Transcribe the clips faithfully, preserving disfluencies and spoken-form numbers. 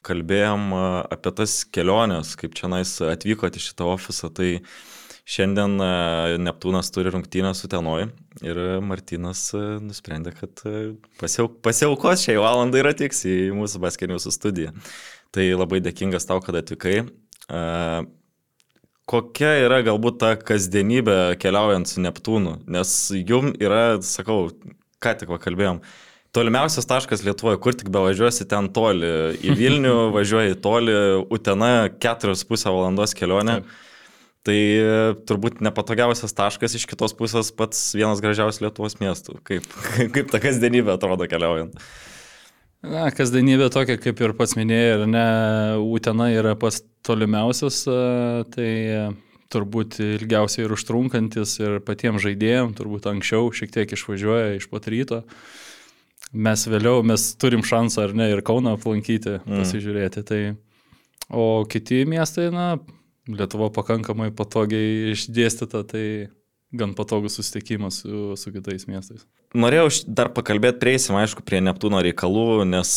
kalbėjom apie tas keliones, kaip čia nais atvykote į šitą ofisą, tai šiandien Neptūnas turi rungtynę su Tenoj ir Martynas nusprendė, kad pasiauk, pasiaukos šiai valandai ir atvyks į mūsų Basketiniusų studiją. Tai labai dėkingas tau, kad atvykai. Kokia yra galbūt ta kasdienybė keliaujant su Neptūnu? Nes jum yra, sakau, ką tik kalbėjom, tolimiausias taškas Lietuvoje, kur tik bevažiuosi ten toli. Į Vilnių važiuoji toli, Utena keturios pusę valandos kelionė. Taip. Tai turbūt nepatogiausias taškas, iš kitos pusės pats vienas gražiausias Lietuvos miestų. Kaip, kaip ta kasdienybė atrodo keliaujant? Na, kasdienybė tokia, kaip ir pats minėjai, ir ne, Utena yra pats tolimiausias, tai turbūt ilgiausiai ir užtrunkantis ir patiems žaidėjams, turbūt anksčiau šiek tiek išvažiuoja iš pat ryto. Mes vėliau, mes turim šansą ar ne ir Kauną aplankyti, mm. pasižiūrėti. Tai, o kiti miestai, na, Lietuva pakankamai patogiai išdėstyta, tai gan patogus susitikimas su, su kitais miestais. Norėjau dar pakalbėti, prieisim, aišku, prie Neptūno reikalų, nes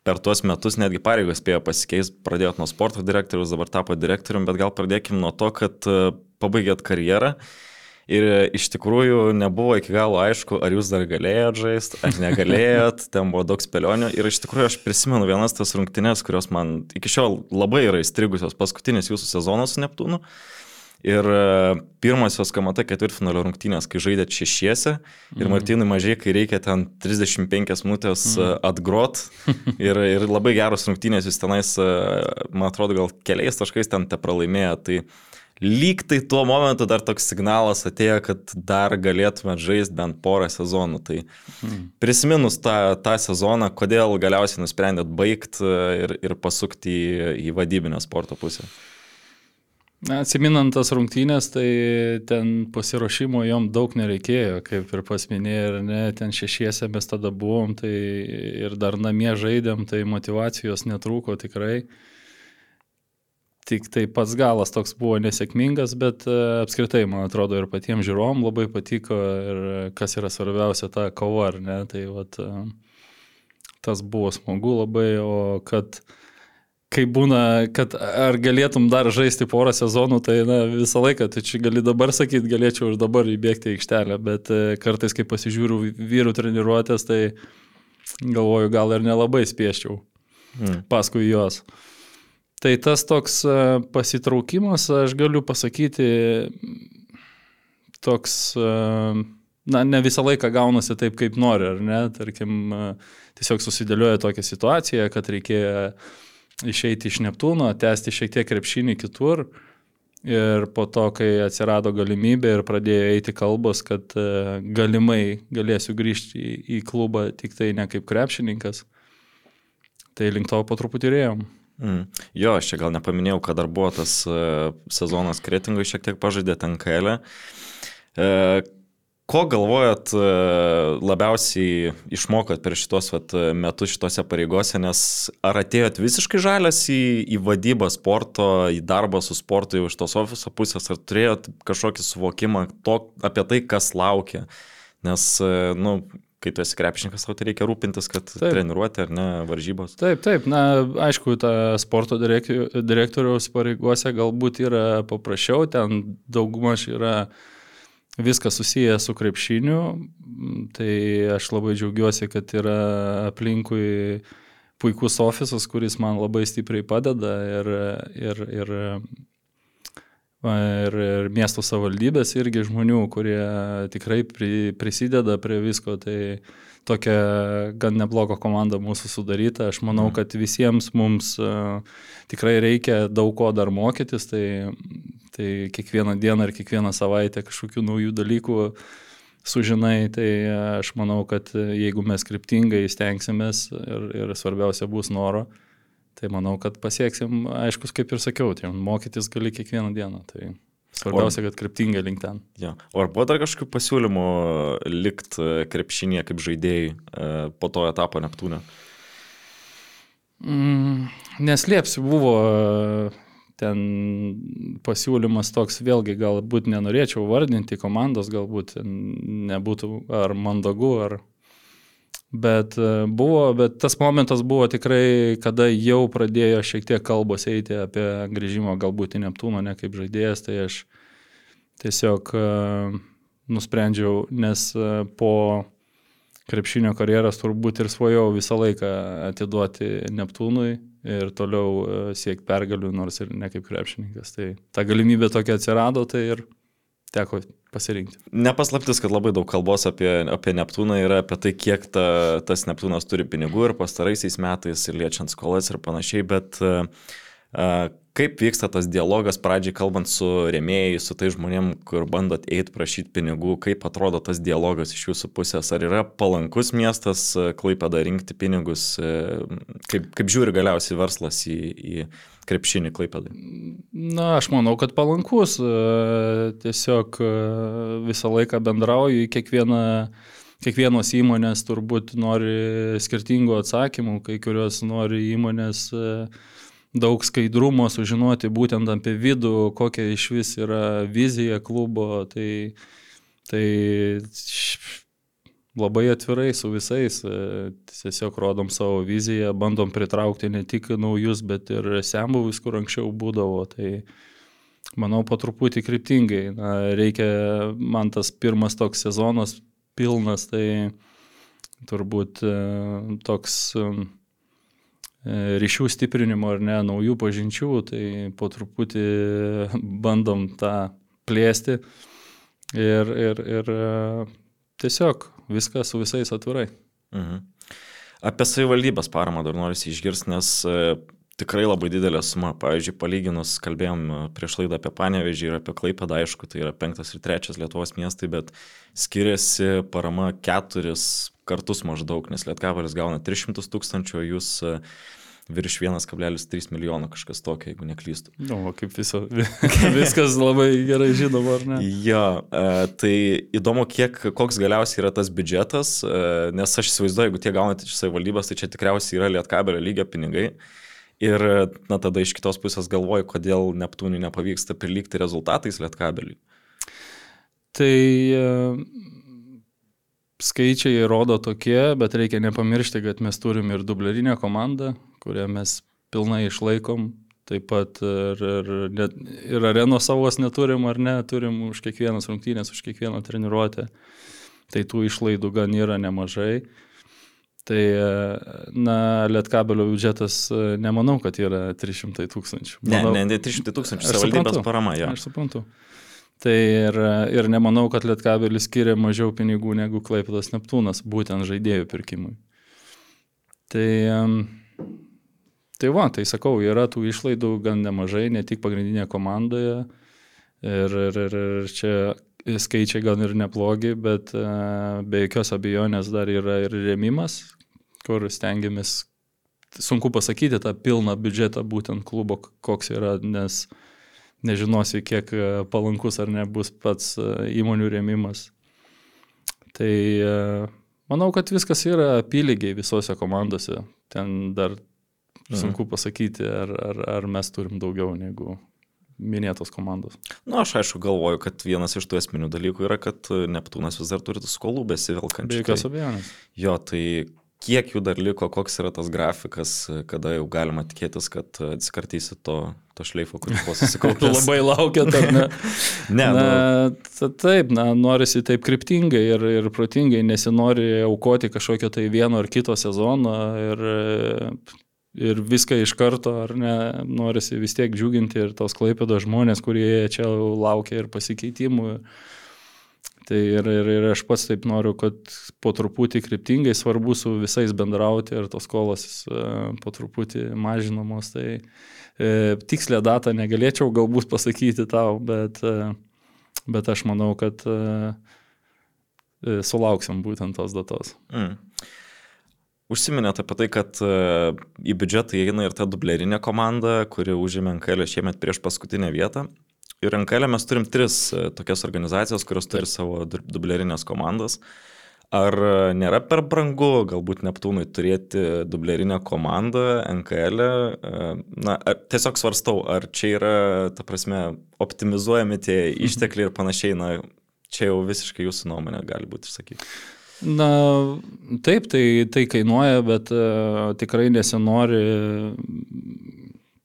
per tuos metus netgi pareigos spėjo pasikeisti, pradėjot nuo sporto direktorius, dabar tapo direktorium, bet gal pradėkim nuo to, kad pabaigėt karjerą. Ir iš tikrųjų nebuvo iki galo aišku, ar jūs dar galėjot žaisti, ar negalėjot, ten buvo daug spėlionių. Ir iš tikrųjų aš prisimenu vienas tas rungtynes, kurios man iki šiol labai yra įstrigusios, paskutinis jūsų sezonas su Neptūnu. Ir pirmosios K M T ketvirtfinalio rungtynės, kai žaidėt šešiese, ir Martynui mažai, kai reikia ten trisdešimt penkias minutės atgrot. Ir, ir labai geros rungtynės, jūs tenais, man atrodo, gal keliais taškais ten te pralaimėjo. Tai lyg tai tuo momentu dar toks signalas atėjo, kad dar galėtume žaisti bent porą sezonų. Tai prisiminus tą, tą sezoną, kodėl galiausiai nusprendėt baigti ir, ir pasukti į, į vadybinę sporto pusę? Atsiminant tas rungtynės, tai ten pasiruošimo jom daug nereikėjo, kaip ir pas minėjai, ir ne, ten šešiese mes tada buvom, tai ir dar namie žaidėm, tai motyvacijos netrūko tikrai. Tik tai pats galas toks buvo nesėkmingas, bet apskritai, man atrodo, ir patiems žiūrovom labai patiko ir kas yra svarbiausia, ta kova, ar ne, tai vat, tas buvo smagu labai, o kad kai būna, kad ar galėtum dar žaisti porą sezonų, tai na, visą laiką, tai čia gali dabar sakyti, galėčiau ir dabar įbėgti į aikštelę, bet kartais, kai pasižiūriu vyrų treniruotės, tai galvoju, gal ir nelabai spieščiau hmm. paskui jos. Tai tas toks pasitraukimas, aš galiu pasakyti, toks, na, ne visą laiką gaunasi taip, kaip nori, ar ne? Tarkim, tiesiog susidėlioja tokią situaciją, kad reikėjo išeiti iš Neptūno, tęsti šiek tiek krepšinį kitur. Ir po to, kai atsirado galimybė ir pradėjo eiti kalbos, kad galimai galėsiu grįžti į, į klubą tik tai ne kaip krepšininkas, tai link to po truputį rėjom. Mm. Jo, aš čia gal nepaminėjau, kad dar buvo tas uh, sezonas Kretingoj, šiek tiek pažaidė ten K L. Uh, ko galvojat uh, labiausiai išmokot per šitos vat, metus šitose pareigose, nes ar atėjot visiškai žalias į, į vadybą sporto, į darbą su sportu jau iš tos ofiso pusės, ar turėjot kažkokį suvokimą to, apie tai, kas laukia? Nes, uh, nu, kai tu esi krepšininkas, tau tai reikia rūpintis, kad taip. Treniruoti ar ne varžybos. Taip, taip, na, aišku, ta sporto direktoriaus pareigose galbūt yra paprasčiau, ten daugumaž yra viskas susiję su krepšiniu, tai aš labai džiaugiuosi, kad yra aplinkui puikus ofisas, kuris man labai stipriai padeda ir, ir, ir Ir, ir miesto savivaldybės irgi žmonių, kurie tikrai pri, prisideda prie visko, tai tokia gan nebloga komanda mūsų sudaryta. Aš manau, kad visiems mums uh, tikrai reikia daug ko dar mokytis, tai, tai kiekvieną dieną ir kiekvieną savaitę kažkokių naujų dalykų sužinai, tai aš manau, kad jeigu mes kryptingai stengsimės ir, ir svarbiausia bus noro, tai manau, kad pasieksim, aiškus, kaip ir sakiau, tai mokytis gali kiekvieną dieną, tai svarbiausia, kad kryptingai link ten. Ja. O ar buvo dar kažkokių pasiūlymų likt krepšinėje kaip žaidėjai po to etapo Neptūne? Mm, neslėpsiu, buvo ten pasiūlymas toks, vėlgi galbūt nenorėčiau vardinti komandos, galbūt nebūtų ar mandagu, ar Bet buvo, bet tas momentas buvo tikrai, kada jau pradėjo šiek tiek kalbos eiti apie grįžimą galbūt į Neptūną, ne kaip žaidėjas, tai aš tiesiog nusprendžiau, nes po krepšinio karjeros turbūt ir svajau visą laiką atiduoti Neptūnui ir toliau siekti pergalių, nors ir ne kaip krepšininkas. Tai ta galimybė tokia atsirado, tai ir teko pasirinkti. Nepaslaptis, kad labai daug kalbos apie, apie Neptūną yra apie tai, kiek ta, tas Neptūnas turi pinigų ir pastaraisiais metais ir liečiant skolas ir panašiai, bet uh, kaip vyksta tas dialogas pradžiai kalbant su rėmėjais, su tai žmonėm, kur bandot eiti prašyti pinigų, kaip atrodo tas dialogas iš jūsų pusės, ar yra palankus miestas Klaipėda rinkti pinigus, kaip, kaip žiūri galiausiai verslas į, į krepšinį Klaipėdai? Na, aš manau, kad palankus, tiesiog visą laiką bendrauju, kiekvieną Kiekvienos įmonės turbūt nori skirtingų atsakymų, kai kurios nori įmonės daug skaidrumo sužinoti būtent apie vidų, kokia iš vis yra vizija klubo, tai, tai labai atvirai su visais, tiesiog rodom savo viziją, bandom pritraukti ne tik naujus, bet ir senbuvius, kur anksčiau būdavo, tai manau po truputį kryptingai. Na, reikia, man tas pirmas toks sezonas pilnas, tai turbūt toks ryšių stiprinimo ar ne, naujų pažinčių, tai po truputį bandom tą plėsti ir, ir, ir tiesiog viską su visais atvirai. Mhm. Apie savivaldybės paramą dar norisi išgirsti, nes tikrai labai didelė suma. Pavyzdžiui, palyginus, kalbėjom prieš laidą apie Panevėžį ir apie Klaipėdą, aišku, tai yra penktas ir trečias Lietuvos miestai, bet skiriasi parama keturis kartus maždaug, nes Lietkabelis gauna tris šimtus tūkstančių, o jūs virš vienas kablelis trys milijono kažkas tokio, jeigu neklystu. Nu, kaip viso, viskas labai gerai žinoma, ar ne? Jo, tai įdomu, kiek, koks galiausiai yra tas biudžetas, nes aš įsivaizduoju, jeigu tie gaunate iš savivaldybės, tai čia tikriausiai yra Lietkabelio lygio pinigai. Ir na, tada iš kitos pusės galvoju, kodėl Neptūnui nepavyksta prilygti rezultatais Lietkabeliui. Tai skaičiai rodo tokie, bet reikia nepamiršti, kad mes turim ir dublerinę komandą, kurią mes pilnai išlaikom. Taip pat ir, ir, ir arenos savos neturim ar ne, turim už kiekvienas rungtynės, už kiekvieną treniruotę. Tai tų išlaidų gan yra nemažai. Tai, na, Lietkabelio biudžetas, nemanau, kad yra trys šimtai tūkstančių. Manau, ne, ne, trys šimtai tūkstančių, savivaldybės parama, jo. Aš suprantu. Tai ir, ir nemanau, kad Lietkabelis skiria mažiau pinigų negu Klaipėdos Neptūnas, būtent žaidėjų pirkimui. Tai, tai va, tai sakau, yra tų išlaidų gan nemažai, ne tik pagrindinėje komandoje. Ir, ir, ir, ir čia skaičiai gan ir neplogi, bet be jokios abejonės dar yra ir rėmimas, kur stengiamės, sunku pasakyti tą pilną biudžetą būtent klubo, koks yra, nes nežinosi, kiek palankus ar nebus pats įmonių rėmimas. Tai manau, kad viskas yra apylygiai visose komandose. Ten dar sunku pasakyti, ar, ar, ar mes turim daugiau negu minėtos komandos. Na, nu, aš aišku galvoju, kad vienas iš tų esminių dalykų yra, kad Neptūnas vis dar turi skolų besivelkančių. Be jokios abejonės. Jo, tai kiek jų dar liko, koks yra tas grafikas, kada jau galima tikėtis, kad atsikartysi to, to šleifo, kuris buvo susikaupęs. Labai laukiat, ar ne? Ne, na, nu... Taip, na, norisi taip kryptingai ir, ir protingai, nesinori aukoti kažkokio tai vieno ar kito sezono ir, ir viską iš karto, ar ne, norisi vis tiek džiuginti ir tos Klaipėdos žmonės, kurie čia laukia ir pasikeitimų. Tai ir, ir, ir aš pats taip noriu, kad po truputį kryptingai svarbu su visais bendrauti ir tos skolos po truputį mažinamos. Tai e, tikslę datą negalėčiau galbūt pasakyti tau, bet, e, bet aš manau, kad e, sulauksim būtent tos datos. Mm. Užsiminėt apie tai, kad e, į biudžetą įeina ir ta dublerinė komanda, kuri užėmė N K L šiemet prieš paskutinę vietą. Ir N K L mes turim tris tokias organizacijos, kurios turi savo dublerinės komandas. Ar nėra per brangu galbūt Neptūnui turėti dublerinę komandą N K L? Na, tiesiog svarstau, ar čia yra, ta prasme, optimizuojami tie ištekliai ir panašiai, na, čia jau visiškai jūsų nuomonė gali būti išsakyti. Na, taip, tai, tai kainuoja, bet uh, tikrai nesinori,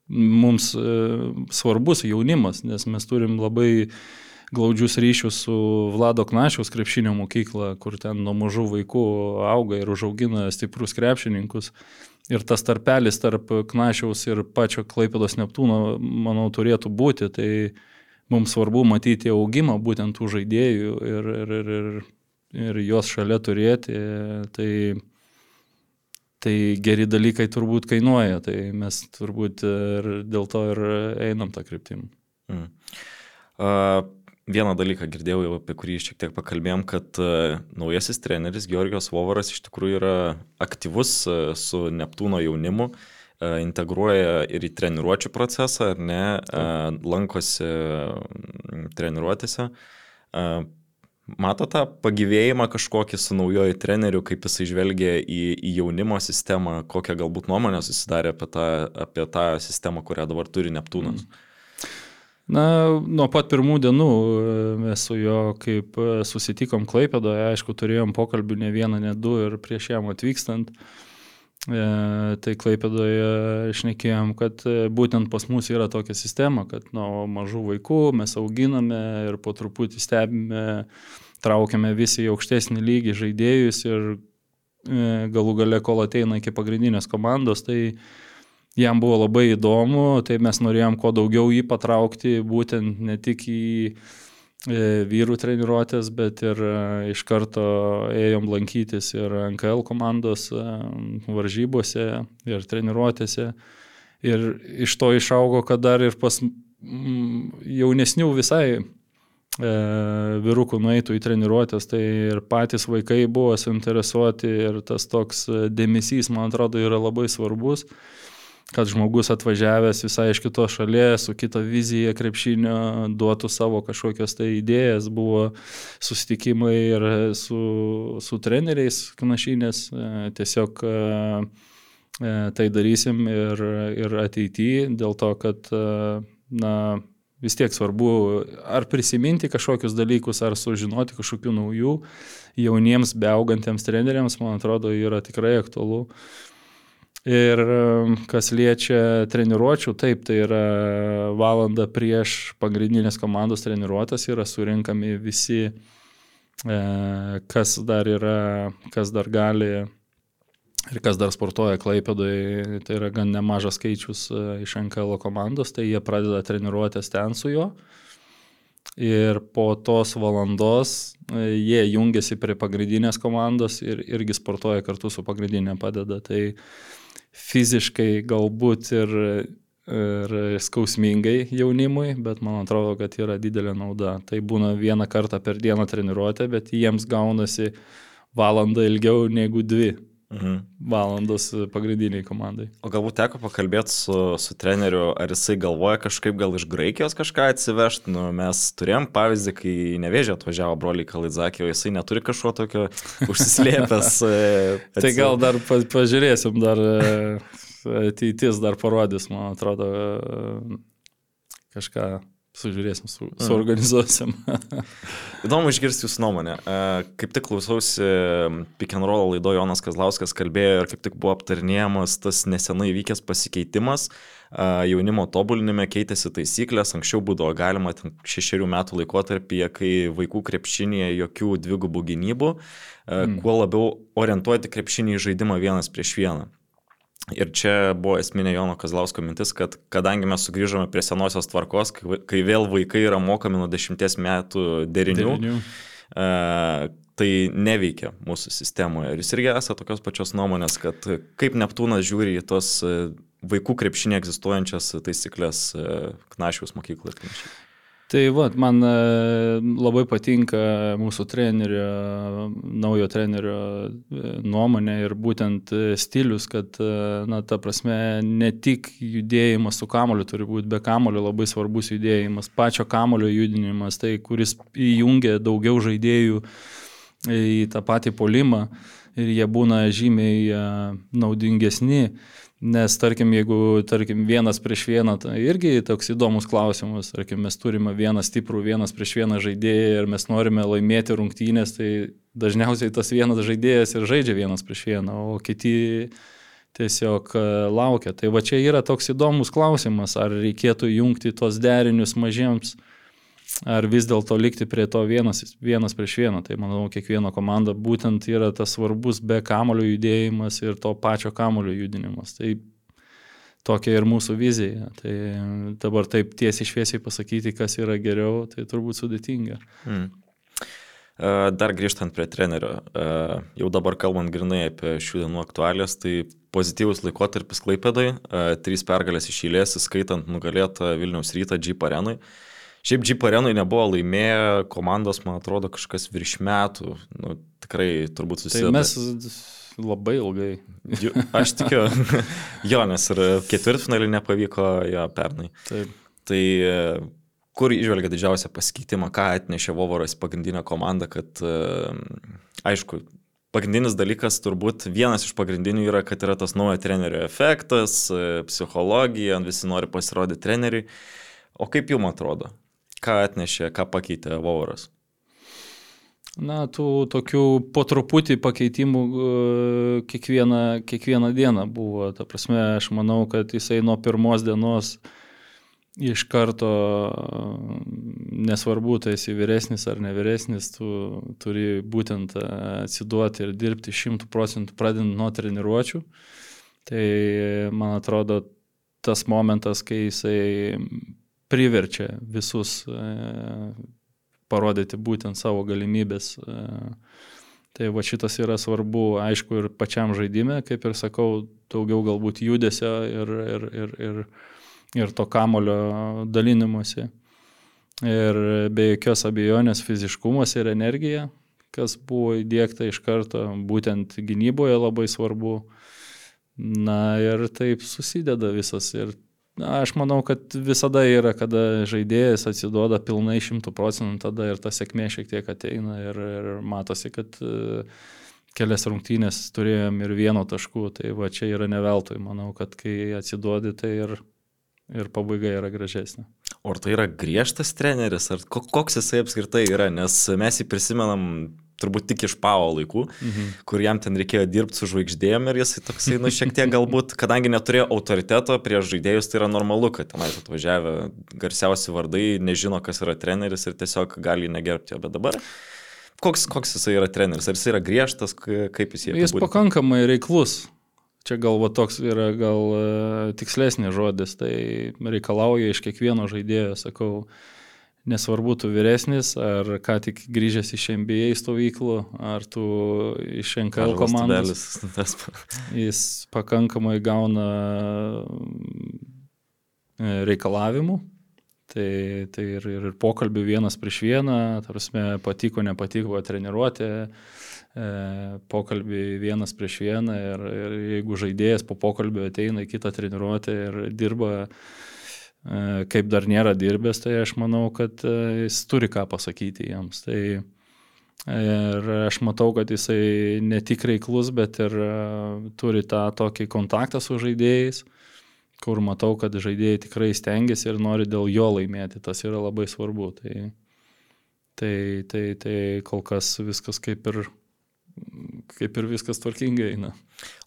mums uh, svarbus jaunimas, nes mes turim labai glaudžius ryšius su Vlado Knašiaus krepšinio mokykla, kur ten nuo mažų vaikų auga ir užaugina stiprus krepšininkus. Ir tas tarpelis tarp Knašiaus ir pačio Klaipėdos Neptūno, manau, turėtų būti. Tai mums svarbu matyti augimą būtent tų žaidėjų ir, ir, ir, ir ir juos šalia turėti, tai, tai geri dalykai turbūt kainuoja, tai mes turbūt ir dėl to ir einam tą kryptim. Mm. Uh, vieną dalyką girdėjau, apie kurį šiek tiek pakalbėjom, kad uh, naujasis treneris Georgijos Vovaras iš tikrųjų yra aktyvus uh, su Neptūno jaunimu, uh, integruoja ir į treniruočių procesą, ar ne, uh, lankosi uh, treniruotėse. Uh, Mato tą pagyvėjimą kažkokį su naujoju treneriu, kaip jisai žvelgia į, į jaunimo sistemą, kokią galbūt nuomonę susidarė apie tą, apie tą sistemą, kurią dabar turi Neptūnas? Na, nuo pat pirmų dienų mes su jo, kaip susitikom Klaipėdoje, aišku, turėjom pokalbių ne vieną, ne du ir prieš jam atvykstant. E, tai Klaipėdoje šnekėjom, kad būtent pas mus yra tokia sistema, kad nuo mažų vaikų mes auginame ir po truputį stebime, traukiame visi į aukštesnį lygį žaidėjus ir e, galų gale, kol ateina iki pagrindinės komandos, tai jam buvo labai įdomu, tai mes norėjom kuo daugiau jį patraukti, būtent ne tik į e, vyrų treniruotės, bet ir e, iš karto ėjom lankytis ir N K L komandos e, varžybose ir treniruotėse. Ir iš to išaugo, kad dar ir pas m, jaunesnių visai e, vyrukų nueitų į treniruotės, tai ir patys vaikai buvo suinteresuoti ir tas toks dėmesys, man atrodo, yra labai svarbus, kad žmogus atvažiavęs visai iš kitos šalies, su kita vizija krepšinio, duotų savo kažkokios tai idėjas, buvo susitikimai ir su, su treneriais Knašinės, tiesiog tai darysim ir, ir ateityje, dėl to, kad na, vis tiek svarbu ar prisiminti kažkokius dalykus, ar sužinoti kažkokių naujų jauniems beaugantiems treneriams, man atrodo, yra tikrai aktualu. Ir kas liečia treniruočių, taip, tai yra valanda prieš pagrindinės komandos treniruotės, yra surinkami visi, kas dar yra, kas dar gali ir kas dar sportuoja Klaipėdoje, tai yra gan nemažas skaičius iš N K L komandos, tai jie pradeda treniruotės ten su juo. Ir po tos valandos jie jungiasi prie pagrindinės komandos ir irgi sportuoja kartu su pagrindinė padeda. Tai fiziškai galbūt ir, ir skausmingai jaunimui, bet man atrodo, kad yra didelė nauda. Tai būna vieną kartą per dieną treniruotė, bet jiems gaunasi valandą ilgiau negu dvi. Mhm. Valandos pagrindiniai komandai. O galbūt teko pakalbėti su, su treneriu, ar jisai galvoja kažkaip gal iš Graikijos kažką atsivežti. Nu, mes turėjom pavyzdį, kai Nevėžė atvažiavo broliai Kalidzakį, o jisai neturi kažko tokio užsislėpęs. Tai gal dar pa, pažiūrėsim, dar ateitis dar parodys, man atrodo, kažką sužiūrėsim, su, suorganizuosim. Įdomu išgirsti jūsų nuomonę. Kaip tik klausausi Pick and Roll laido, Jonas Kazlauskas kalbėjo ir kaip tik buvo aptarinėjamas tas nesenai vykęs pasikeitimas. Jaunimo tobulinime keitėsi taisyklės, anksčiau būdavo galima šešerių metų laikotarpyje, kai vaikų krepšinėje jokių dvigubų gynybų, mm. kuo labiau orientuoti krepšinį į žaidimą vienas prieš vieną. Ir čia buvo esminė Jono Kazlausko mintis, kad kadangi mes sugrįžome prie senosios tvarkos, kai, kai vėl vaikai yra mokami nuo dešimties metų derinių, derinių. E, tai neveikia mūsų sistemoje. Ir jūs irgi esate tokios pačios nuomonės, kad kaip Neptūnas žiūri į tos vaikų krepšinė egzistuojančias taisyklės Knašiaus mokykloje ir panašiai. Tai va, man labai patinka mūsų trenerio, naujo trenerio nuomonė ir būtent stilius, kad, na, ta prasme, ne tik judėjimas su kamoliu turi būti, be kamolio labai svarbus judėjimas, pačio kamolio judinimas, tai kuris įjungia daugiau žaidėjų į tą patį puolimą ir jie būna žymiai naudingesni. Nes, tarkim, jeigu, tarkim, vienas prieš vieną, tai irgi toks įdomus klausimas, tarkim, mes turime vieną stiprų, vienas prieš vieną žaidėją ir mes norime laimėti rungtynės, tai dažniausiai tas vienas žaidėjas ir žaidžia vienas prieš vieną, o kiti tiesiog laukia. Tai va čia yra toks įdomus klausimas, ar reikėtų jungti tos derinius mažiems, ar vis dėlto likti prie to vienas, vienas prieš vieną. Tai manau, kiekviena komanda būtent yra tas svarbus be kamulio judėjimas ir to pačio kamulio judinimas. Tai tokia ir mūsų vizija. Tai dabar taip tiesiai šviesiai pasakyti, kas yra geriau, tai turbūt sudėtinga. Hmm. Dar grįžtant prie trenerio, jau dabar kalbant grinai apie šių dienų aktualijas, tai pozityvus laikotarpis Klaipėdai, trys pergalės iš eilės, įskaitant nugalėtą Vilniaus Rytą Jeep Arenui. Šiaip Jeep Arenui nebuvo laimėję komandos, man atrodo, kažkas virš metų, nu, tikrai turbūt susideda. Tai mes labai ilgai. Jo, aš tikiu, jo, nes ir ketvirtfinalį nepavyko jo pernai. Taip. Tai kur išvelgia didžiausią pasikeitimą, ką atnešė Vovoras pagrindinę komandą, kad, aišku, pagrindinis dalykas turbūt vienas iš pagrindinių yra, kad yra tas naujo trenerio efektas, psichologija, visi nori pasirodyti treneriui. O kaip jums atrodo? Ką atnešė, ką pakeitė Vovoras? Na, tų tokių po truputį pakeitimų kiekvieną, kiekvieną dieną buvo. Ta prasme, aš manau, kad jisai nuo pirmos dienos iš karto, nesvarbu, tai esi vyresnis ar nevyresnis, tu turi būtent atsiduoti ir dirbti šimtų procentų pradedant nuo treniruočių. Tai, man atrodo, tas momentas, kai jisai priverčia visus parodyti būtent savo galimybės. Tai va šitas yra svarbu, aišku, ir pačiam žaidime, kaip ir sakau, daugiau galbūt judesio ir, ir, ir, ir ir to kamulio dalinimuose. Ir be jokios abejonės fiziškumas ir energija, kas buvo įdiegta iš karto, būtent gynyboje labai svarbu. Na ir taip susideda visas. Ir na, aš manau, kad visada yra, kada žaidėjas atsiduoda pilnai šimtų procentų, tada ir ta sėkmė šiek tiek ateina ir, ir matosi, kad kelias rungtynės turėjom ir vieno taškų. Tai va čia yra ne veltui. Manau, kad kai atsiduodi, tai ir ir pabaiga yra gražesnė. O ar tai yra griežtas treneris, ar koks jisai apskritai yra, nes mes jį prisimenam turbūt tik iš Pavo laikų, mhm. kur jam ten reikėjo dirbti su žvaigždėjom ir jisai toksai, nu, šiek tiek galbūt, kadangi neturėjo autoriteto prieš žaidėjus, tai yra normalu, kad tenais atvažiavę garsiausi vardai, nežino, kas yra treneris ir tiesiog gali negerbti jo, bet dabar koks, koks jisai yra treneris, ar jisai yra griežtas, kaip jis jį Jis pakankamai reiklus. Čia gal va, toks yra gal uh, tikslesnis žodis, tai reikalauja iš kiekvieno žaidėjo, sakau, nesvarbu tu vyresnis, ar ką tik grįžęs iš N B A stovyklų, ar tu iš N K L komandos. Jis pakankamai gauna reikalavimų, tai, tai ir, ir pokalbių vienas prieš vieną, tarsi patiko, nepatiko treniruotė, pokalbį vienas prieš vieną ir, ir jeigu žaidėjas po pokalbio ateina į kitą treniruotę ir dirba kaip dar nėra dirbęs, tai aš manau, kad jis turi ką pasakyti jiems. Tai ir aš matau, kad jisai ne tik reiklus, bet ir turi tą tokį kontaktą su žaidėjais, kur matau, kad žaidėjai tikrai stengiasi ir nori dėl jo laimėti. Tas yra labai svarbu. Tai, tai, tai, tai kol kas viskas kaip ir kaip ir viskas tvarkingai eina.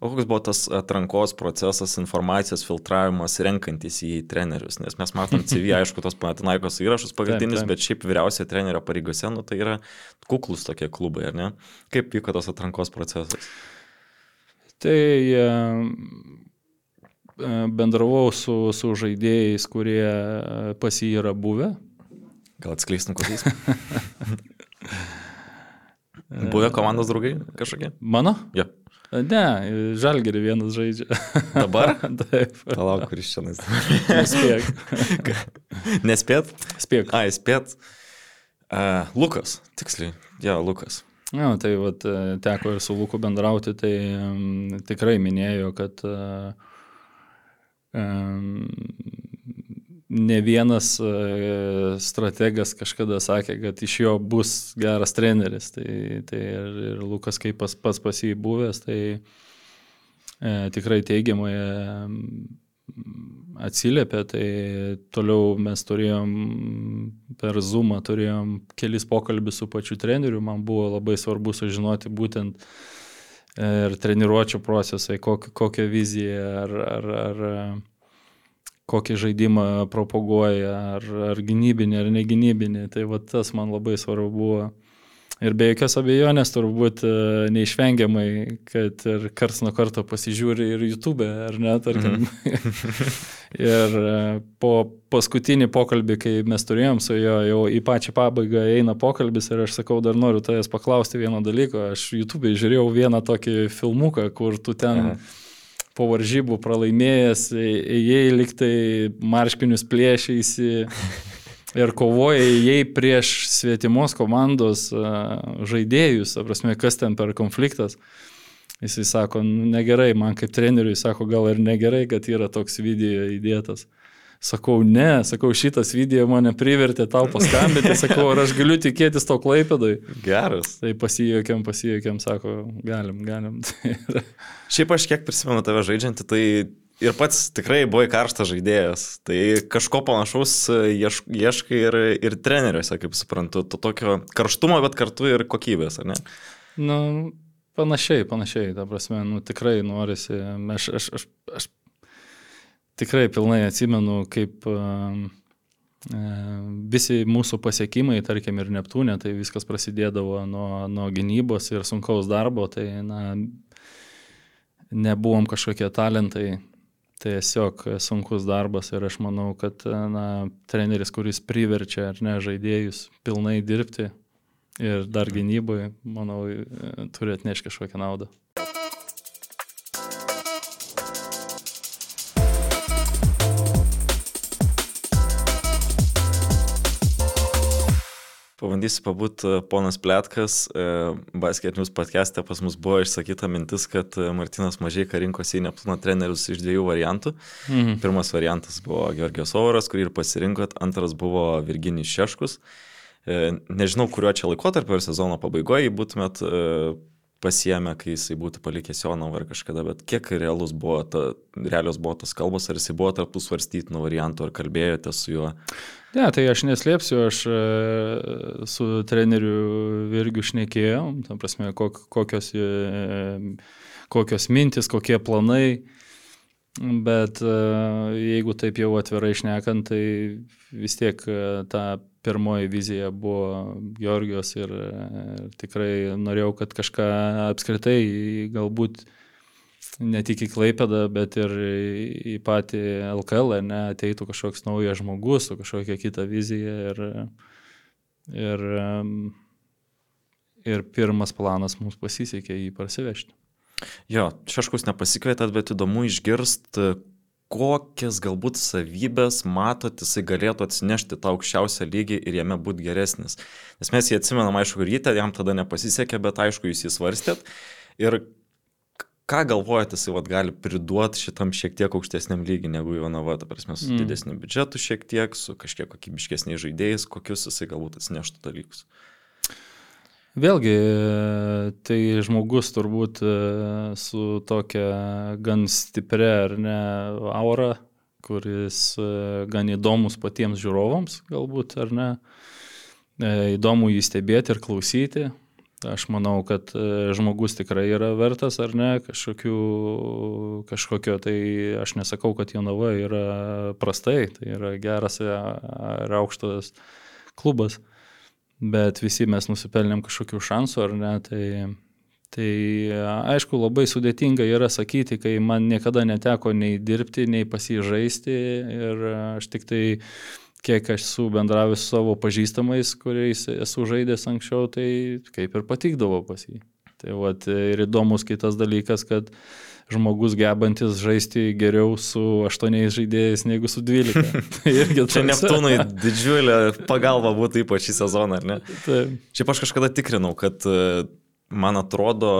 O koks buvo tas atrankos procesas, informacijos filtravimas, renkantis į trenerius? Nes mes matom C V, aišku, tos Panathinaikos įrašus pagrindinis, taip, taip. Bet šiaip vyriausio trenerio pareigose, nu, tai yra kuklus tokie klubai, ar ne? Kaip vyko tas atrankos procesas? Tai bendravau su, su žaidėjais, kurie pas jį yra buvę. Gal atskleistum kokiais? Buvę komandos draugai kažkokie? Mano? Jo. Ne, Žalgirį vienas žaidžia. Dabar? Taip. Palauk, kuris čia nais. Nespėk. Nespėt? Spėk. Ai, spėt. Uh, Lukas, tiksliai. Jo, Lukas. Na, tai vat, teko ir su Luku bendrauti, tai um, tikrai minėjo, kad uh, um, ne vienas strategas kažkada sakė, kad iš jo bus geras treneris. Tai, tai ir, ir Lukas, kaip pas, pas pas jį buvęs, tai e, tikrai teigiamai atsiliepė, tai toliau mes turėjom per Zoomą, turėjom kelis pokalbius su pačiu treneriu, man buvo labai svarbu sužinoti būtent ir treniruočio procesai, kokią, kokią viziją ar, ar, ar kokį žaidimą propaguoja, ar, ar gynybinį, ar negynybinį, tai va tas man labai svarbu buvo. Ir be jokios abejonės turbūt neišvengiamai, kad ir karts nuo karto pasižiūri ir YouTube, ar ne, tarkim. Mm. Ir po paskutinį pokalbį, kai mes turėjom su jo, jau į pačią pabaigą eina pokalbis ir aš sakau, dar noriu tavęs paklausti vieno dalyko. Aš YouTube žiūrėjau vieną tokį filmuką, kur tu ten Aha. po varžybų pralaimėjęs, jei liktai marškinius plėšėsi. Ir kovoja jai prieš svetimos komandos žaidėjus, prasme, kas ten per konfliktas. Jisai sako, negerai, man kaip treneriui sako, gal ir negerai, kad yra toks video įdėtas. Sakau, ne, sakau, šitas video mane privertė tau paskambinti, sakau, ar aš galiu tikėtis to Klaipėdoj. Geras. Tai pasijuokiam, pasijuokiam, sako, galim, galim. Šiaip aš kiek prisimenu tave žaidžiantį, tai ir pats tikrai buvai karštas žaidėjas, tai kažko panašaus ieškai ir, ir treneriuose, kaip suprantu, to tokio karštumo, bet kartu ir kokybės, ar ne? Nu, panašiai, panašiai, ta prasme, nu tikrai norisi, aš, aš, aš, aš tikrai pilnai atsimenu, kaip uh, visi mūsų pasiekimai, tarkim ir Neptūne, tai viskas prasidėdavo nuo, nuo gynybos ir sunkaus darbo, tai na, nebuvom kažkokie talentai. Tiesiog sunkus darbas ir aš manau, kad na, treneris, kuris priverčia ar ne žaidėjus pilnai dirbti ir dar gynyboje, manau, turi atnešti kažkokią naudą. Pabandysiu pabūt ponas Pletkas, Basket News podcast'e pas mus buvo išsakyta mintis, kad Martynas Mažeika rinkosi į Neptūno trenerius iš dviejų variantų. Mhm. Pirmas variantas buvo Georgijos Ovaras, kurį ir pasirinkot, antras buvo Virginijus Šeškus. Nežinau, kuriuo čia laikotarpiu ar sezono pabaigoje būtumėt pasiėmę, kai jisai būtų palikęs Jonavą ar kažkada, bet kiek realus buvo ta, realios buvo tas kalbos, ar jisai buvo tarp tų svarstytinų variantų, ar kalbėjote su juo? Ne, tai aš neslėpsiu, aš su treneriu Virgiu šnekėjom, ta prasme, kokios, kokios mintis, kokie planai, bet jeigu taip jau atvirai šnekant, tai vis tiek ta pirmoji vizija buvo Georgijos ir tikrai norėjau, kad kažką apskritai galbūt ne tik į Klaipėdą, bet ir į patį L K L, ne, ateitų kažkoks naujas žmogus su kažkokia kita vizija ir, ir, ir pirmas planas mums pasisekė jį parsivežti. Jo, Šeškus nepasikvietėt, bet įdomu išgirst, kokias galbūt savybės matot, jisai galėtų atsinešti tą aukščiausią lygį ir jame būti geresnis. Nes mes jį atsimenam, aišku, ryte, jam tada nepasisekė, bet aišku, jūs jį svarstėt. Ir ką galvojate, jisai vat, gali priduoti šitam šiek tiek aukštesniam lygiui negu Jonava, ta prasme, su mm. didesniu biudžetu šiek tiek, su kažkiek kokybiškesniais žaidėjais, kokius jisai galbūt atsineštų dalykus? Vėlgi, tai žmogus turbūt su tokia gan stipria ar ne aura, kuris gan įdomus patiems žiūrovams galbūt, ar ne, įdomu jį stebėti ir klausyti. Aš manau, kad žmogus tikrai yra vertas, ar ne, kažkokiu, kažkokio, tai aš nesakau, kad Jonava yra prastai, tai yra geras ir aukštas klubas. Bet visi mes nusipelnėm kažkokių šansų, ar ne, tai, tai aišku, labai sudėtinga yra sakyti, kai man niekada neteko nei dirbti, nei pasižaisti ir aš tik tai, kiek aš esu bendravęs su savo pažįstamais, kuriais esu žaidęs anksčiau, tai kaip ir patikdavo pas jį. Tai vat, ir įdomus kitas dalykas, kad žmogus gebantis žaisti geriau su aštuoniais žaidėjais negu su dvylika. Čia Neptūnui didžiulė pagalba būtų ypač šį sezoną, ar ne? Taip. Šiaip aš kažkada tikrinau, kad man atrodo,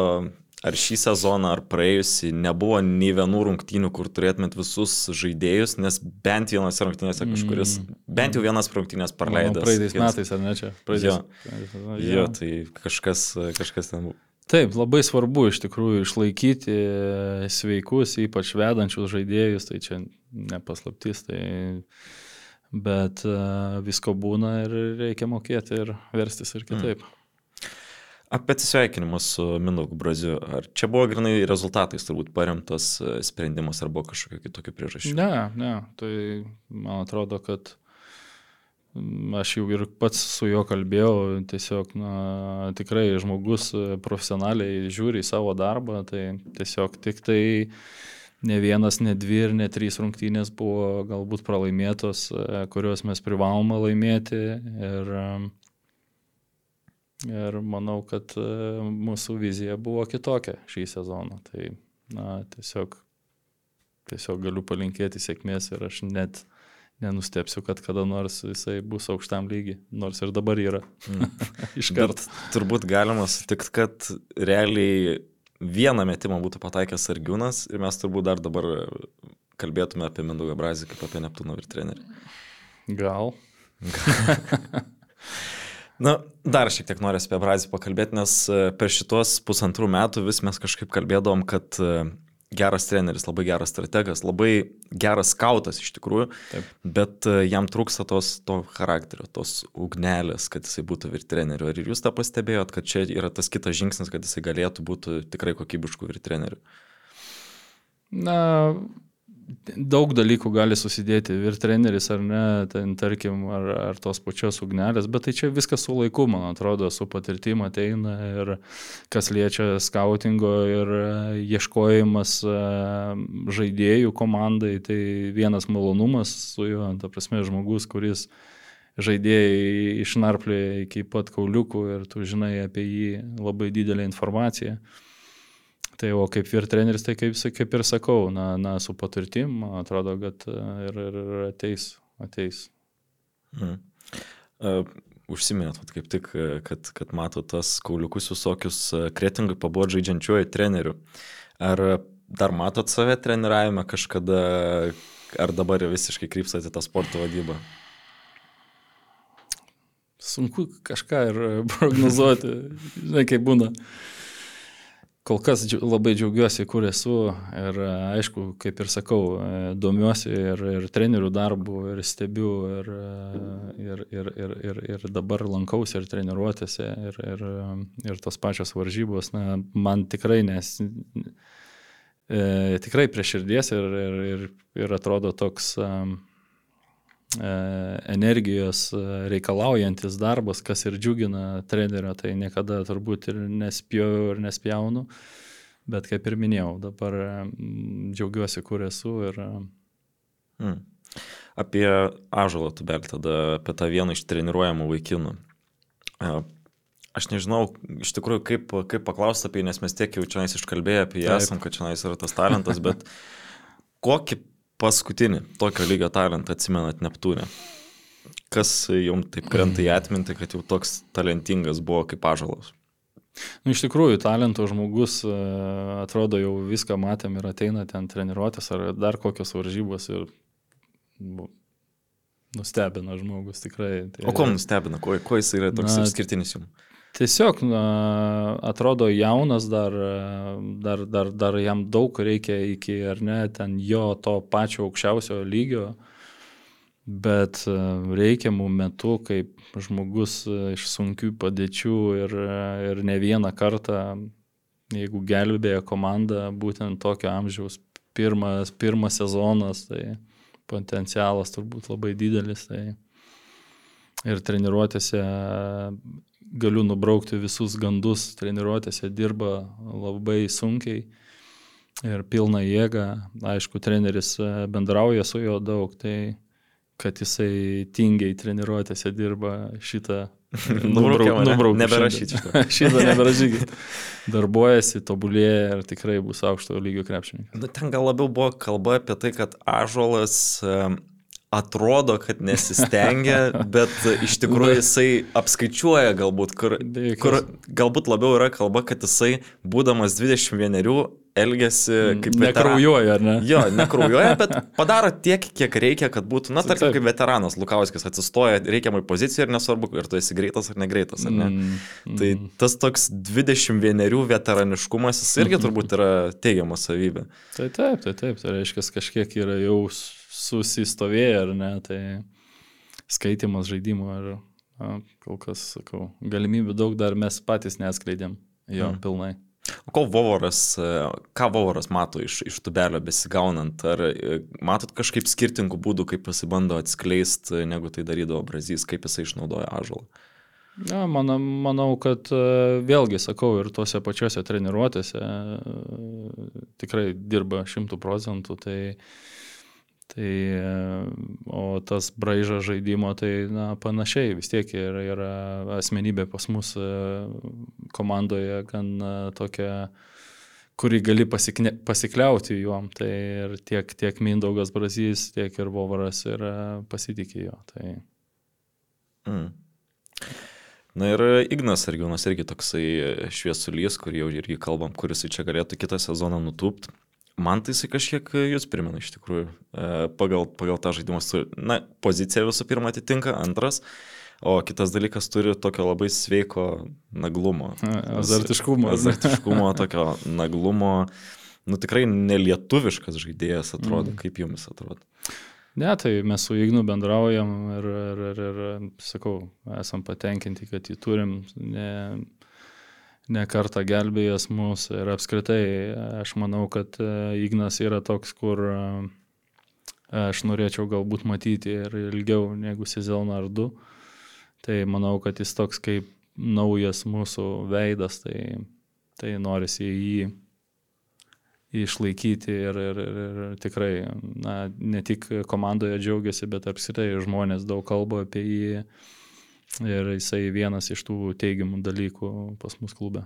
ar šį sezoną, ar praėjusį, nebuvo nei vienų rungtynių, kur turėtumėt visus žaidėjus, nes bent vienose rungtynėse kažkuris, mm. bent jau vienas rungtynės praleidęs. Praeitais metais, ar ne čia? Jo, jo, tai kažkas, kažkas ten buvo. Taip, labai svarbu iš tikrųjų išlaikyti sveikus, ypač vedančius žaidėjus, tai čia nepaslaptis, tai bet visko būna ir reikia mokėti ir verstis ir kitaip. Mm. Apie atsisveikinimus su Mindaugu Braziu. Ar čia buvo grinai rezultatais turbūt paremtas sprendimas ar buvo kažkokių kitokių priežasčių? Ne, ne. Tai man atrodo, kad aš jau ir pats su juo kalbėjau, tiesiog na, tikrai žmogus profesionaliai žiūri į savo darbą, tai tiesiog tik tai ne vienas, ne dvi ir ne trys rungtynės buvo galbūt pralaimėtos, kurios mes privalome laimėti ir Ir manau, kad mūsų vizija buvo kitokia šį sezoną. Tai na, tiesiog, tiesiog galiu palinkėti sėkmės ir aš net nenustepsiu, kad kada nors jisai bus aukštam lygiai, nors ir dabar yra. Mm. Iškart. Turbūt galima sutikti, kad realiai vieną metimą būtų pataikęs Sargiūnas ir mes turbūt dar dabar kalbėtume apie Mindaugą Brazį kaip apie Neptūno ir trenerį. Gal. Na, dar šiek tiek norės apie Brazį pakalbėti, nes per šitos pusantrų metų vis mes kažkaip kalbėdavom, kad geras treneris, labai geras strategas, labai geras skautas iš tikrųjų, taip, bet jam trūksta tos, to charakterio, tos ugnelės, kad jisai būtų vyr treneriu. Ar ir jūs tą pastebėjot, kad čia yra tas kitas žingsnis, kad jisai galėtų būti tikrai kokybiškų vyr treneriu? Na, daug dalykų gali susidėti ir treneris ar ne, ten, tarkim, ar, ar tos pačios ugnelės, bet tai čia viskas su laiku, man atrodo, su patirtim ateina ir kas liečia skautingo ir ieškojimas žaidėjų komandai, tai vienas malonumas su juo, ta prasme, žmogus, kuris žaidėjai išnarplė iki pat kauliukų ir tu žinai apie jį labai didelę informaciją. Tai o kaip vyr treneris, tai kaip, kaip ir sakau, na, na su patirtim, man atrodo, kad ir, ir ateis. ateis. Mm. Uh, užsiminėt, kaip tik, kad, kad mato tas kauliukus visokius Kretingui pabuvot žaidžiančiuoju treneriu. Ar dar matot save treniravime kažkada, ar dabar visiškai krypstate tą sporto vadybą? Sunku kažką ir prognozuoti, žinai, kaip būna. Kol kas labai džiaugiuosi, kur esu ir aišku, kaip ir sakau, domiuosi ir, ir trenerių darbų, ir stebiu, ir, ir, ir, ir, ir, ir dabar lankausi ir treniruotėse, ir, ir, ir tos pačios varžybos. Na, man tikrai, nes, e, tikrai prie širdies ir, ir, ir, ir atrodo toks e, energijos reikalaujantis darbas, kas ir džiugina trenerio, tai niekada turbūt ir nespėjau ir nespjaunu, bet kaip ir minėjau, dabar džiaugiuosi, kur esu. Ir... Mm. Apie Ąžuolą Tubelį, tada apie tą vieną iš treniruojamų vaikinų. Aš nežinau, iš tikrųjų, kaip, kaip paklausti apie jį, nes mes tiek jau čia iškalbėję apie jį esam, kad čia yra tas talentas, bet kokį paskutinį tokio lygio talentą atsimenat Neptūne? Kas jums taip krenta į atmintį, kad jau toks talentingas buvo kaip Ąžuolas? Nu, iš tikrųjų, talento žmogus, atrodo, jau viską matėm ir ateina ten treniruotės ar dar kokios varžybos ir bu, nustebina žmogus tikrai. Tai, o ko nustebina? Ko, ko jis yra toks na, išskirtinis jums? Tiesiog na, atrodo jaunas, dar, dar, dar, dar jam daug reikia iki, ar ne, ten jo to pačio aukščiausio lygio, bet reikiamų metų, kaip žmogus iš sunkių padėčių ir, ir ne vieną kartą, jeigu gelbėja komanda, būtent tokio amžiaus pirmas, pirmas sezonas, tai potencialas turbūt labai didelis. Tai ir treniruotėse galiu nubraukti visus gandus, treniruotėse dirba labai sunkiai ir pilna jėga. Aišku, treneris bendrauja su juo daug, tai kad jisai tingiai treniruotėse dirba šitą nubrauk, nubrauk, neberašyti šitą. Šitą neberašykit. Darbuojasi, tobulėja ir tikrai bus aukšto lygio krepšininkas. Nu, ten gal labiau buvo kalba apie tai, kad Ąžuolas atrodo, kad nesistengia, bet iš tikrųjų jisai apskaičiuoja galbūt, kur, kur galbūt labiau yra kalba, kad jisai, būdamas dvidešimt vienerių, elgiasi kaip veteranas. Nekraujuoja, ar ne? Jo, nekraujuoja, bet padaro tiek, kiek reikia, kad būtų, na, tarkim, kaip veteranas Lukauskis atsistoja reikiamai pozicijai ir nesvarbu, ar tu esi greitas ar negreitas, ar ne. Mm, mm. Tai tas toks dvidešimt vienerių veteraniškumas, jis irgi turbūt yra teigiama savybė. Tai taip, tai taip, tai reiškia, kažkiek yra jau susistovėję, ar ne, tai skaitimas žaidimo, ar na, kol kas, sakau, galimybių daug dar mes patys neatskleidėm jo mm. pilnai. O ko Vovoras, ką Vovoras mato iš, iš Tubelio besigaunant? Ar matot kažkaip skirtingų būdų, kaip pasibando atskleisti, negu tai darydavo Brazys, kaip jisai išnaudoja Ąžuolą? Ja, manau, manau, kad vėlgi, sakau, ir tuose pačiuose treniruotėse tikrai dirba šimtų procentų, tai, tai o tas braižas žaidimo, tai na, panašiai vis tiek yra, yra asmenybė pas mus komandoje gan tokia, kurį gali pasikne, pasikliauti juom, tai ir tiek, tiek Mindaugas Brazys, tiek ir Vovaras ir pasitikė jo. Tai... Mm. Na ir Ignas Sargiūnas irgi toksai šviesulys, kurį jau irgi kalbam, kuris čia galėtų kitą sezoną nutūpti. Man tai jisai kažkiek jūs primena iš tikrųjų pagal, pagal tą žaidimą. Na, pozicija visų pirma atitinka, antras, o kitas dalykas turi tokio labai sveiko naglumo. Azartiškumo. Azartiškumo, tokio naglumo. Nu tikrai nelietuviškas žaidėjas atrodo, mm. kaip jums atrodo. Ne, tai mes su Ignu bendraujam ir, ir, ir, ir sakau, esam patenkinti, kad jį turim. Ne, ne kartą gelbėjęs mus ir apskritai aš manau, kad Ignas yra toks, kur aš norėčiau galbūt matyti ir ilgiau negu sezoną ar du. Tai manau, kad jis toks kaip naujas mūsų veidas, tai, tai norisi jį išlaikyti ir, ir, ir, ir tikrai na, ne tik komandoje džiaugiasi, bet apskritai žmonės daug kalba apie jį. Ir jisai vienas iš tų teigiamų dalykų pas mus klube.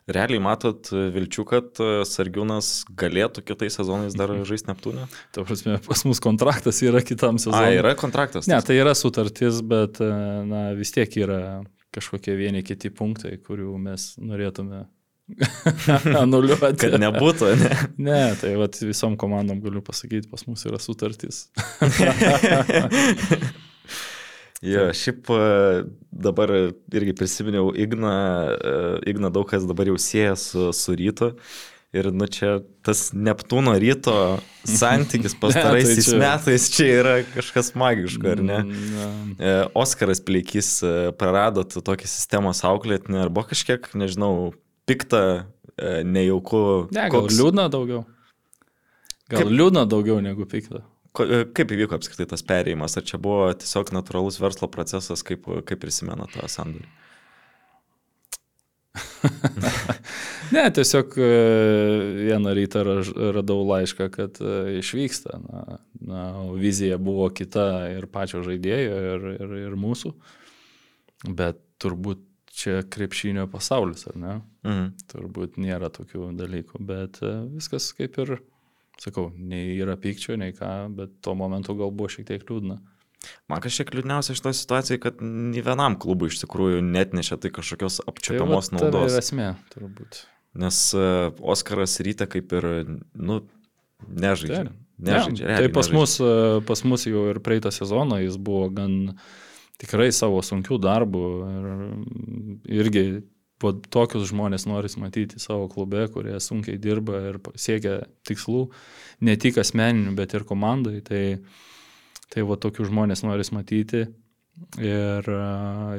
Realiai matot vilčių, kad Sargiūnas galėtų kitais sezonais dar žaisti Neptūne? Ta prasme, pas mus kontraktas yra kitam sezonui. A, yra kontraktas? Ne, tai yra sutartis, bet na, vis tiek yra kažkokie vieni kiti punktai, kurių mes norėtume anuliuoti. Kad nebūtų, ne? Ne, tai vat, visom komandom galiu pasakyti, pas mus yra sutartis. Jo, šiaip dabar irgi prisiminiau Igną, Igną daug kas dabar jau sieja su, su Rytu ir nu čia tas Neptūno Ryto santykis pastaraisiais ne, tai čia... metais čia yra kažkas magiško, ar ne? Ne. Oskaras Pleikys praradot tokį sistemos auklėtinį, ar buvo kažkiek, nežinau, pikta, nejauku. Ne, gal koks... liūdna daugiau. Gal Kaip... liūdna daugiau negu pikta. Kaip įvyko apskritai tas perėjimas? Ar čia buvo tiesiog natūralus verslo procesas, kaip, kaip prisimena tą sandorį? Ne, tiesiog vieną rytą radau laišką, kad išvyksta. Na, na, vizija buvo kita ir pačio žaidėjo, ir, ir, ir mūsų. Bet turbūt čia krepšinio pasaulis, ar ne? Mhm. Turbūt nėra tokių dalykų, bet viskas kaip ir... Sakau, nei yra pykčio, nei ką, bet tuo momentu gal buvo šiek tiek liūdna. Man kažkiek liūdniausia iš to situacijai, kad nei vienam klubui iš tikrųjų net nešia tai kažkokios apčiuopiamos tai naudos. Tai yra esmė, turbūt. Nes uh, Oskaras Ryte kaip ir, nu, nežaidžia. Tai, nežaidžia, ne, tai pas mus, pas mus jau ir praeitą sezoną jis buvo gan tikrai savo sunkių darbų ir irgi po tokius žmonės noris matyti savo klube, kurie sunkiai dirba ir siekia tikslų, ne tik asmeninių, bet ir komandai. Tai, tai va tokių žmonės noris matyti. Ir,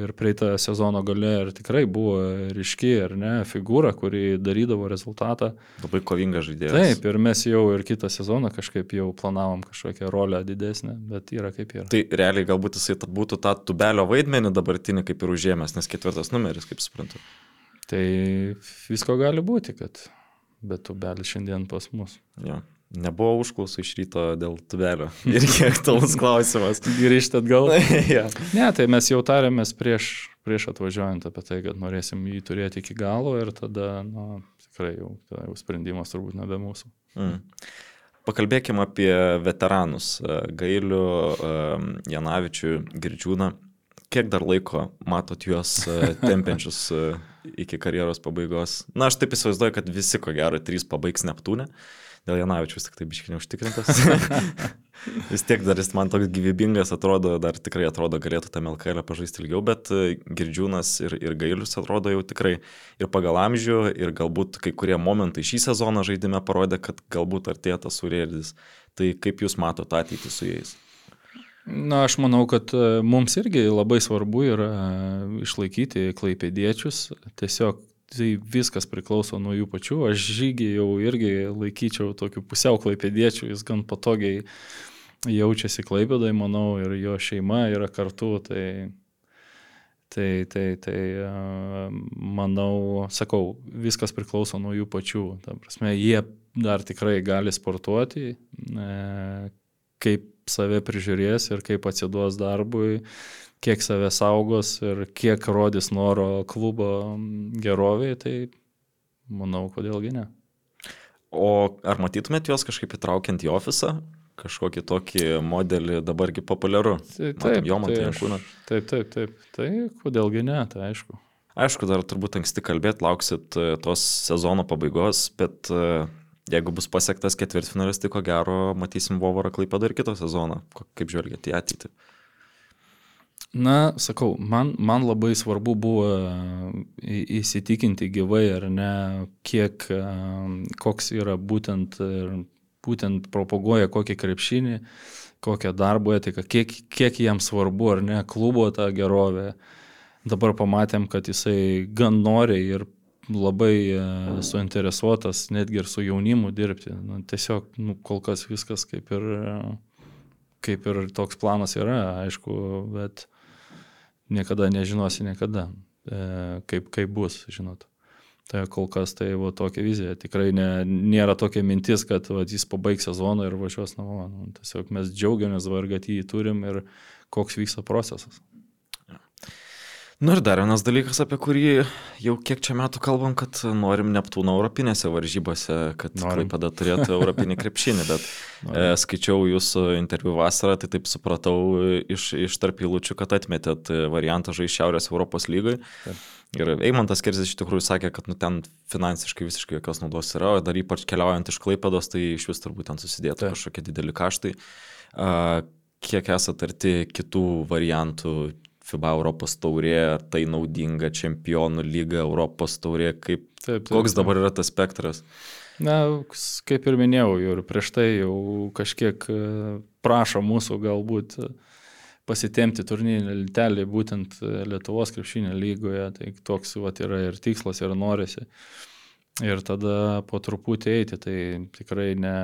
ir praeitą sezono gale ir tikrai buvo ryški, ar ne, figūra, kuri darydavo rezultatą. Labai kovingas žaidėjas. Taip, ir mes jau ir kitą sezoną kažkaip jau planavom kažkokią rolę didesnę, bet yra kaip yra. Tai realiai galbūt jisai būtų tą Tubelio vaidmenį dabartinį kaip ir užėmęs, nes ketvirtas numeris, kaip suprantu. Tai visko gali būti, kad bet Tubelis šiandien pas mus. Jo. Nebuvo užklausų iš Ryto dėl Tubelio. Irgi aktualus klausimas. Grįžti atgal. Ja. Ne, tai mes jau tarėmės prieš, prieš atvažiuojant apie tai, kad norėsim jį turėti iki galo ir tada, na, tikrai jau, jau sprendimas turbūt nebe mūsų. Mm. Pakalbėkime apie veteranus. Gailių, Janavičių, Girdžiūną. kiek dar laiko matot juos tempiančius iki karjeros pabaigos? Na, aš taip įsivaizduoju, kad visi, ko gero, trys pabaigs Neptūne. Dėl Janavičius tik taip biškai neužtikrintas. Vis tiek dar jis man toks gyvybingas atrodo, dar tikrai atrodo galėtų tam L K L pažaisti ilgiau, bet Girdžiūnas ir, ir Gailius atrodo jau tikrai ir pagal amžių, ir galbūt kai kurie momentai šį sezoną žaidime parodė, kad galbūt artėja tas surėdis. Tai kaip jūs matote ateitį su jais? Na, aš manau, kad mums irgi labai svarbu yra išlaikyti klaipėdiečius. Tiesiog tai viskas priklauso nuo jų pačių. Aš Žygį jau irgi laikyčiau tokiu pusiau klaipėdiečių, jis gan patogiai jaučiasi Klaipėdai, manau, ir jo šeima yra kartu, tai, tai, tai, tai manau, sakau, viskas priklauso nuo jų pačių. Ta prasme, jie dar tikrai gali sportuoti, kaip save prižiūrės ir kaip atsiduos darbui, kiek save saugos ir kiek rodys noro klubo geroviai, tai manau, kodėlgi ne. O ar matytumėt juos kažkaip įtraukiant į ofisą? Kažkokį tokį modelį dabargi populiaru? Taip, taip, jo, matai, taip, taip, taip, taip, tai kodėlgi ne, tai aišku. Aišku, dar turbūt anksti kalbėti, lauksit tos sezono pabaigos, bet jeigu bus pasiektas ketvirtfinalis, tai ko gero matysim Vovorą Klaipėdą ir kitą sezoną. Kaip žvelgiate į ateitį? Na, sakau, man, man labai svarbu buvo įsitikinti gyvai ar ne, kiek, koks yra būtent, būtent propaguoja kokį krepšinį, kokią darbo etiką, kiek, kiek jiems svarbu ar ne klubo tą gerovę. Dabar pamatėm, kad jisai gan noriai ir labai suinteresuotas netgi ir su jaunimu dirbti. Nu, tiesiog nu, kol kas viskas kaip ir, kaip ir toks planas yra, aišku, bet niekada nežinosi niekada, kaip, kaip bus, žinot. Tai kol kas tai va, tokia vizija. Tikrai ne, nėra tokia mintis, kad va, jis pabaigs sezoną ir važiuos namo. Nu, tiesiog mes džiaugiamės, kad jį turim ir koks vyksta procesas. Nu ir dar vienas dalykas, apie kurį jau kiek čia metų kalbam, kad norim Neptūno europinėse varžybose, kad Klaipėda turėtų europinį krepšinį, bet e, skaičiau jūsų interviu vasarą, tai taip supratau iš, iš tarp eilučių, kad atmetėt variantą žaisti Šiaurės Europos lygai. Taip. Ir Eimantas Kerzis iš tikrųjų sakė, kad nu, ten finansiškai visiškai jokios naudos yra, o dar ypač keliaujant iš Klaipėdos, tai iš vis turbūt ten susidėtų Taip. Kažkokie dideli kaštai. A, kiek esat arti kitų variantų? FIBA Europos taurė, ar tai naudinga Čempionų lyga, Europos taurė, kaip, taip, taip, koks dabar yra tas spektras? Na, kaip ir minėjau, ir prieš tai jau kažkiek prašo mūsų galbūt pasitemti turnyrinę lentelę būtent Lietuvos krepšinio lygoje, tai toks vat, yra ir tikslas, ir norisi. Ir tada po truputį eiti, tai tikrai ne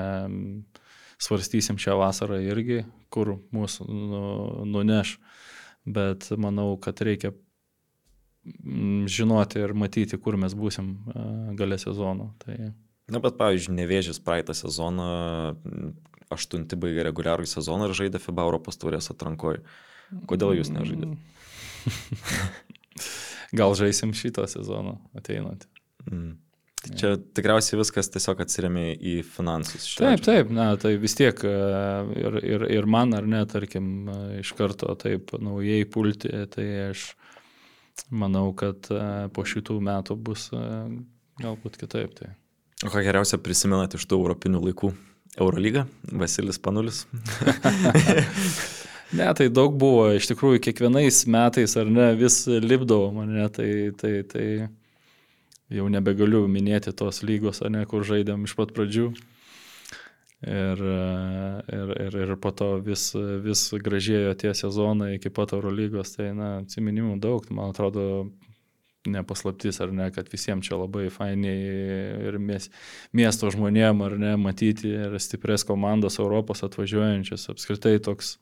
svarstysim šią vasarą irgi, kur mūsų nu, nuneš. Bet manau, kad reikia žinoti ir matyti, kur mes būsim gale sezono. Tai... Na, bet pavyzdžiui, Nevėžis praeitą sezoną, aštunti baigė reguliarų sezoną ir žaidė FIBA Europos taurės atrankoje. Kodėl jūs nežaidėte? Gal žaisim šitą sezoną ateinantį. Mm. Tai čia tikriausiai viskas tiesiog atsiremia į finansus. Taip, taip, na, tai vis tiek ir, ir, ir man ar ne, tarkim, iš karto taip naujai pulti, tai aš manau, kad po šitų metų bus galbūt kitaip. Tai. O ką geriausia prisimenat iš tų europinių laikų? Eurolyga? Vasilis Panulis? Ne, tai daug buvo, iš tikrųjų kiekvienais metais ar ne vis lipdavo mane, tai... tai, tai jau nebegaliu minėti tos lygos, ne, kur žaidėm iš pat pradžių. Ir, ir, ir, ir po to vis, vis gražėjo tie sezonai iki pat Eurolygos. Tai, na, atsiminimų daug. Man atrodo, nepaslaptis, ar ne, kad visiems čia labai fainiai ir miesto žmonėm, ar ne, matyti ir stiprias komandas Europos atvažiuojančias. Apskritai toks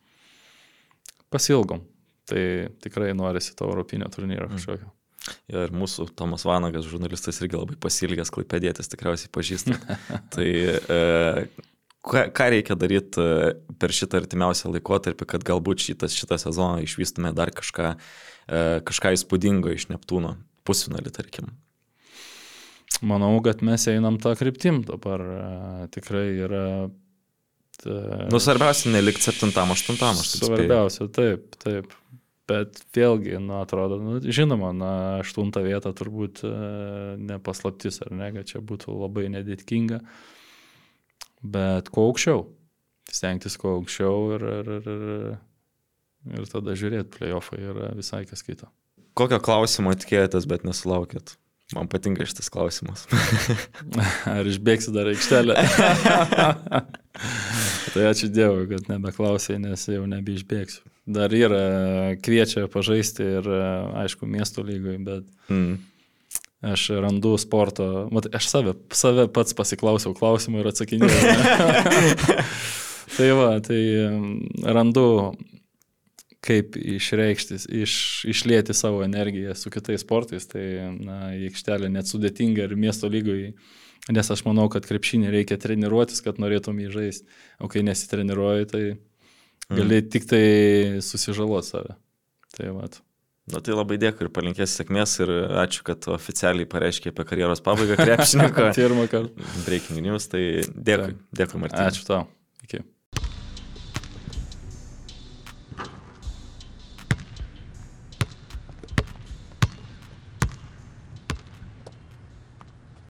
pasilgom. Tai tikrai norisi to europinio turnyro kažkokio. Ir mūsų Tomas Vanagas, žurnalistas, irgi labai pasilgęs, klaipėdietis, tikriausiai pažįstat. Tai e, ką, ką reikia daryti per šitą artimiausią laikotarpį, kad galbūt šitas, šitą sezoną išvystume dar kažką, e, kažką įspūdingo iš Neptūno, pusfinalį, tarkim? Manau, kad mes einam tą kryptim dabar. E, tikrai yra... Ta... Nu, svarbiausia, nelikti septintam, aštuntam, aš taip spėjau. Svarbiausia, taip, taip. Bet vėlgi, nu, atrodo, nu, žinoma, na, aštuntą vietą turbūt e, nepaslaptis, ar ne, kad čia būtų labai nedėtinga, bet kuo aukščiau, stengtis kuo aukščiau ir, ir, ir, ir tada žiūrėti, play-offai yra visai kas kito. Kokio klausimo tikėjotės, bet nesulaukėt? Man patinka šitas klausimas. Ar išbėgsi dar aikštelę? Tai ačiū Dievui, kad nebeklausai, nes jau nebeišbėgsiu. Dar yra, kviečia pažaisti ir, aišku, miesto lygoj, bet mm. aš randu sporto, mat, aš save, save pats pasiklausiau klausimų ir atsakinėjau. Tai va, tai randu, kaip išreikštis, iš, išlėti savo energiją su kitais sportais, tai na, į aikštelę net sudėtinga ir miesto lygoj, nes aš manau, kad krepšinį reikia treniruotis, kad norėtum jį žaisti, o kai nesitreniruoji, tai gali mm. tik tai susižaloti save. Tai vat. Na tai labai dėkui ir palinkės sėkmės ir ačiū, kad oficialiai pareiškė apie karjeros pabaigą krepšininko. Pirmą kartą. Breaking news, tai dėkui. Dėkui, Martynai. Ačiū tau. Iki.